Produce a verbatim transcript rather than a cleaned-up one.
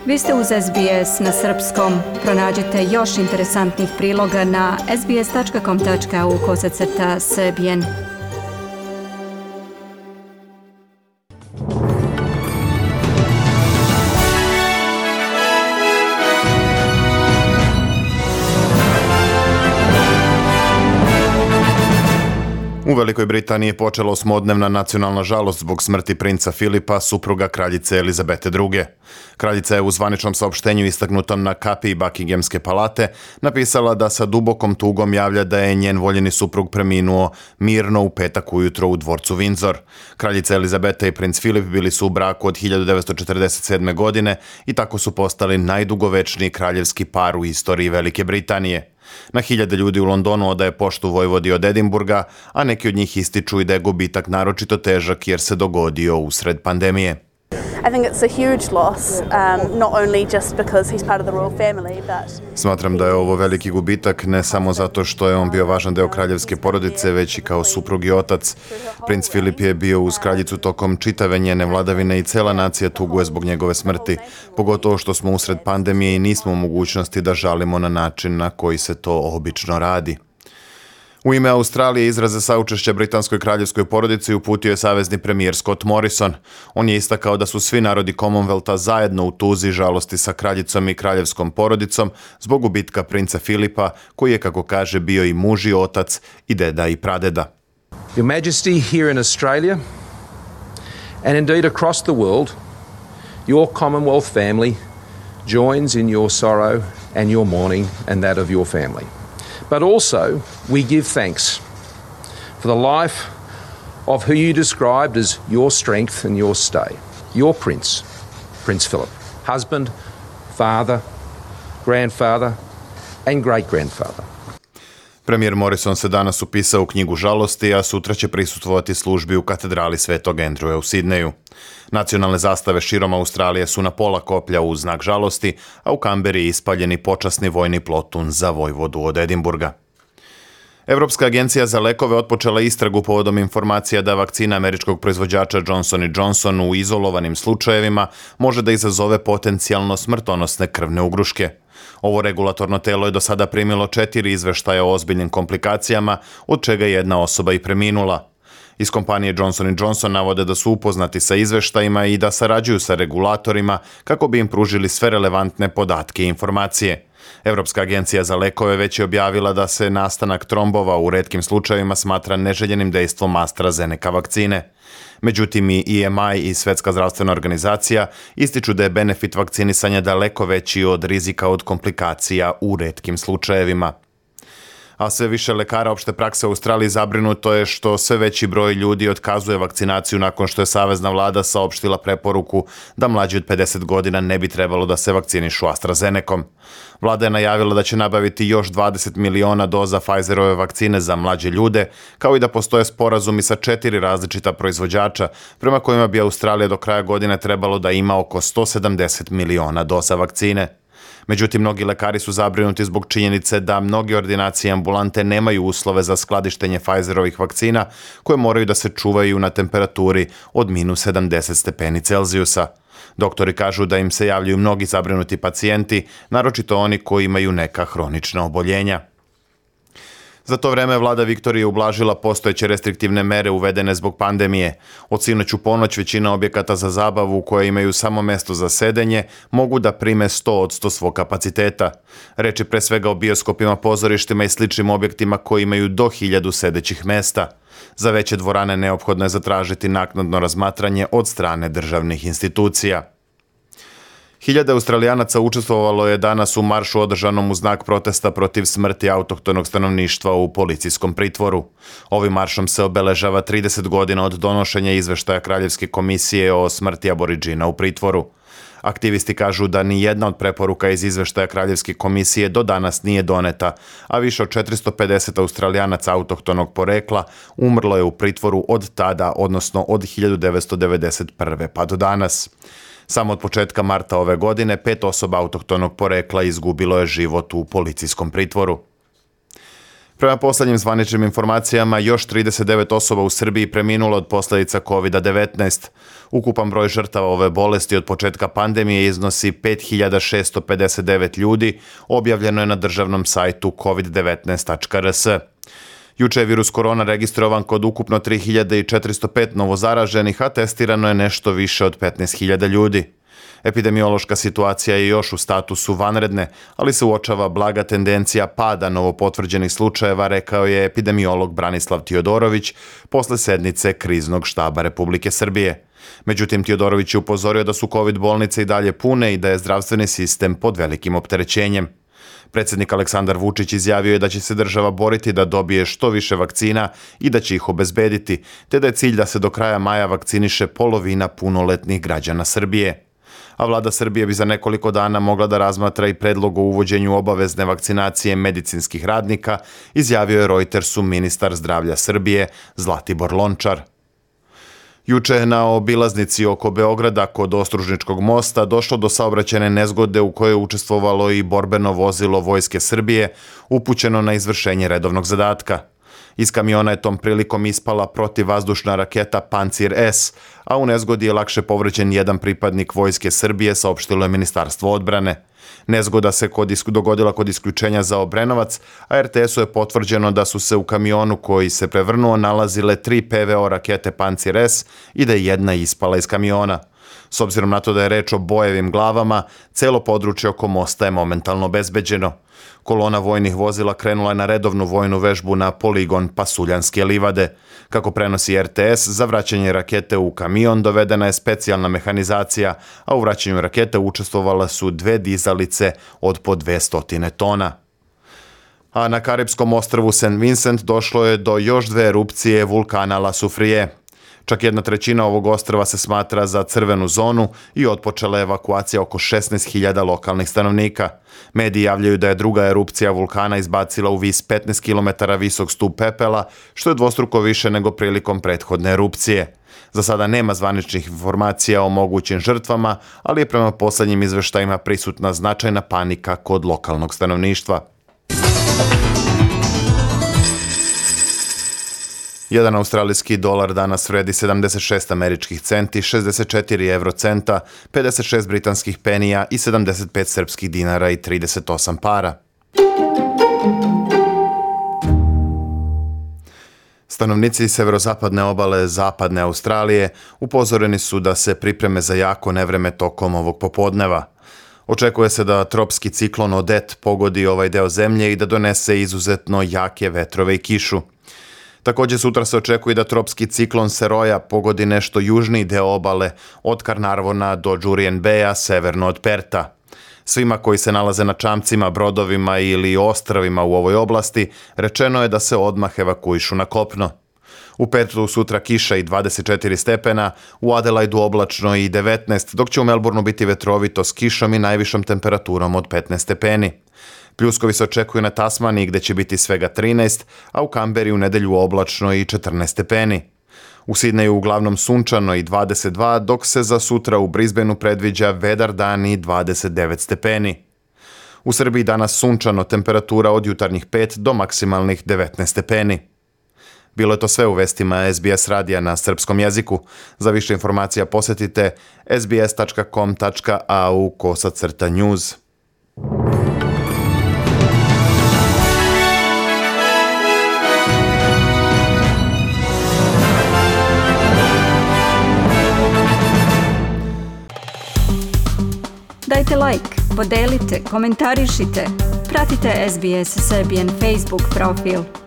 Vi ste uz S B S na srpskom. Pronađite još interesantnih priloga na sbs.com.au kosacrta srbijen. U Velikoj Britaniji je počela osmodnevna nacionalna žalost zbog smrti princa Filipa, supruga kraljice Elizabete druge. Kraljica je u zvaničnom saopštenju istaknutom na kapiji Buckinghamske palate napisala da sa dubokom tugom javlja da je njen voljeni suprug preminuo mirno u petak ujutro u dvorcu Windsor. Kraljica Elizabeta i princ Filip bili su u braku od hiljadu devetsto četrdeset sedme. godine i tako su postali najdugovečniji kraljevski par u istoriji Velike Britanije. Na hiljade ljudi u Londonu odaje poštu vojvodi od Edinburga, a neki od njih ističu i da je gubitak naročito težak jer se dogodio usred pandemije. I think it's a huge loss, um, not only just because he's part of the royal family, but... Smatram da je ovo veliki gubitak, ne samo zato što je on bio važan deo kraljevske porodice, već i kao suprug i otac. Princ Filip je bio uz kraljicu tokom čitave njene vladavine i cela nacija tuguje zbog njegove smrti, pogotovo što smo usred pandemije i nismo u mogućnosti da žalimo na način na koji se to obično radi. U ime Australije izraze saučešća britanskoj kraljevskoj porodici uputio je savezni premijer Scott Morrison. On je istakao da su svi narodi Commonwealtha zajedno u tuzi i žalosti sa kraljicom i kraljevskom porodicom zbog gubitka princa Filipa, koji je, kako kaže, bio i muž i otac i deda i pradeda. Your Majesty, here in Australia and indeed across the world, your Commonwealth family joins in your sorrow and your mourning and that of your family. But also, we give thanks for the life of who you described as your strength and your stay, your prince, Prince Philip, husband, father, grandfather and great-grandfather. Premijer Morrison se danas upisao u knjigu žalosti, a sutra će prisustvovati službi u katedrali Svetog Andrewa u Sidneju. Nacionalne zastave širom Australije su na pola koplja u znak žalosti, a u Kamberi je ispaljeni počasni vojni plotun za vojvodu od Edinburga. Evropska agencija za lekove otpočela istragu povodom informacija da vakcina američkog proizvođača Johnson and Johnson u izolovanim slučajevima može da izazove potencijalno smrtonosne krvne ugruške. Ovo regulatorno telo je do sada primilo četiri izveštaja o ozbiljnim komplikacijama, od čega je jedna osoba i preminula. Iz kompanije Johnson and Johnson navode da su upoznati sa izveštajima i da sarađuju sa regulatorima kako bi im pružili sve relevantne podatke i informacije. Evropska agencija za lekove već je objavila da se nastanak trombova u retkim slučajevima smatra neželjenim dejstvom AstraZeneca vakcine. Međutim, i E M I i Svetska zdravstvena organizacija ističu da je benefit vakcinisanja daleko veći od rizika od komplikacija u retkim slučajevima. A sve više lekara opšte prakse u Australiji zabrinuto je što sve veći broj ljudi otkazuje vakcinaciju nakon što je savezna vlada saopštila preporuku da mlađi od pedeset godina ne bi trebalo da se vakcinišu AstraZenecom. Vlada je najavila da će nabaviti još dvadeset miliona doza Pfizerove vakcine za mlađe ljude, kao i da postoje sporazumi sa četiri različita proizvođača, prema kojima bi Australija do kraja godine trebalo da ima oko sto sedamdeset miliona doza vakcine. Međutim, mnogi lekari su zabrinuti zbog činjenice da mnogi ordinacije i ambulante nemaju uslove za skladištenje Pfizerovih vakcina koje moraju da se čuvaju na temperaturi od minus sedamdeset stepeni Celzijusa. Doktori kažu da im se javljaju mnogi zabrinuti pacijenti, naročito oni koji imaju neka hronična oboljenja. Za to vreme vlada Viktorije ublažila postojeće restriktivne mere uvedene zbog pandemije. Od sinoć u ponoć većina objekata za zabavu koje imaju samo mesto za sedenje mogu da prime sto posto svog kapaciteta. Reč je pre svega o bioskopima, pozorištima i sličnim objektima koji imaju do hiljadu sedećih mesta. Za veće dvorane neophodno je zatražiti naknadno razmatranje od strane državnih institucija. Hiljade Australijanaca učestvovalo je danas u maršu održanom u znak protesta protiv smrti autohtonog stanovništva u policijskom pritvoru. Ovim maršom se obeležava trideset godina od donošenja izveštaja Kraljevske komisije o smrti Aboridžina u pritvoru. Aktivisti kažu da ni jedna od preporuka iz izveštaja Kraljevske komisije do danas nije doneta, a više od četiristo pedeset Australijanaca autohtonog porekla umrlo je u pritvoru od tada, odnosno od hiljadu devetsto devedeset prve pa do danas. Samo od početka marta ove godine pet osoba autohtonog porekla izgubilo je život u policijskom pritvoru. Prema poslednjim zvaničnim informacijama, još trideset devet osoba u Srbiji preminulo od posljedica kovid devetnaest. Ukupan broj žrtava ove bolesti od početka pandemije iznosi pet hiljada šesto pedeset devet ljudi, objavljeno je na državnom sajtu kovid devetnaest tačka r s. Juče je virus korona registrovan kod ukupno tri hiljade četiristo pet novozaraženih, a testirano je nešto više od petnaest hiljada ljudi. Epidemiološka situacija je još u statusu vanredne, ali se uočava blaga tendencija pada novopotvrđenih slučajeva, rekao je epidemiolog Branislav Tiodorović posle sednice Kriznog štaba Republike Srbije. Međutim, Tiodorović je upozorio da su kovid bolnice i dalje pune i da je zdravstveni sistem pod velikim opterećenjem. Predsjednik Aleksandar Vučić izjavio je da će se država boriti da dobije što više vakcina i da će ih obezbediti, te da je cilj da se do kraja maja vakciniše polovina punoletnih građana Srbije. A vlada Srbije bi za nekoliko dana mogla da razmatra i predlog o uvođenju obavezne vakcinacije medicinskih radnika, izjavio je Reutersu ministar zdravlja Srbije Zlatibor Lončar. Juče je na obilaznici oko Beograda kod Ostružničkog mosta došlo do saobraćajne nezgode u kojoj je učestvovalo i borbeno vozilo Vojske Srbije, upućeno na izvršenje redovnog zadatka. Iz kamiona je tom prilikom ispala protivvazdušna raketa Pancir S, a u nezgodi je lakše povređen jedan pripadnik Vojske Srbije, saopštilo je Ministarstvo odbrane. Nezgoda se kod, dogodila kod isključenja za Obrenovac, a er te esu je potvrđeno da su se u kamionu koji se prevrnuo nalazile tri pe ve o rakete Pancir S i da je jedna ispala iz kamiona. S obzirom na to da je reč o bojevim glavama, celo područje oko mosta je momentalno obezbeđeno. Kolona vojnih vozila krenula je na redovnu vojnu vežbu na poligon Pasuljanske livade. Kako prenosi er te es, za vraćanje rakete u kamion dovedena je specijalna mehanizacija, a u vraćanju rakete učestvovala su dve dizalice od po dvesta tona. A na Karipskom ostrvu Saint Vincent došlo je do još dve erupcije vulkana La Soufrière. Čak jedna trećina ovog ostrva se smatra za crvenu zonu i otpočela je evakuacija oko šesnaest hiljada lokalnih stanovnika. Mediji javljaju da je druga erupcija vulkana izbacila u vis petnaest kilometara visok stup pepela, što je dvostruko više nego prilikom prethodne erupcije. Za sada nema zvaničnih informacija o mogućim žrtvama, ali je prema poslednjim izveštajima prisutna značajna panika kod lokalnog stanovništva. Jedan australijski dolar danas vredi sedamdeset šest američkih centi, šezdeset četiri evrocenta, pedeset šest britanskih penija i sedamdeset pet srpskih dinara i trideset osam para. Stanovnici severozapadne obale zapadne Australije upozoreni su da se pripreme za jako nevreme tokom ovog popodneva. Očekuje se da tropski ciklon Odet pogodi ovaj deo zemlje i da donese izuzetno jake vetrove i kišu. Također sutra se očekuje da tropski ciklon Seroja pogodi nešto južniji deo obale od Carnarvona do Jurien Baya severno od Perta. Svima koji se nalaze na čamcima, brodovima ili ostrvima u ovoj oblasti rečeno je da se odmah evakuišu na kopno. U Pertu sutra kiša i dvadeset četiri stepena, u Adelaidu oblačno i devetnaest, dok će u Melbourneu biti vetrovito s kišom i najvišom temperaturom od petnaest stepeni. Pljuskovi se očekuju na Tasmaniji gde će biti svega trinaest, a u Kamberi u nedelju oblačno i četrnaest stepeni. U Sidneju uglavnom sunčano i dvadeset dva, dok se za sutra u Brisbaneu predviđa vedar dan i dvadeset devet stepeni. U Srbiji danas sunčano, temperatura od jutarnjih pet do maksimalnih devetnaest stepeni. Bilo je to sve u vestima es be es radija na srpskom jeziku. Za više informacija posetite es be es tačka com tačka a u kosacrta news. Dajte like, podelite, komentarišite, pratite es be es Serbian Facebook profil.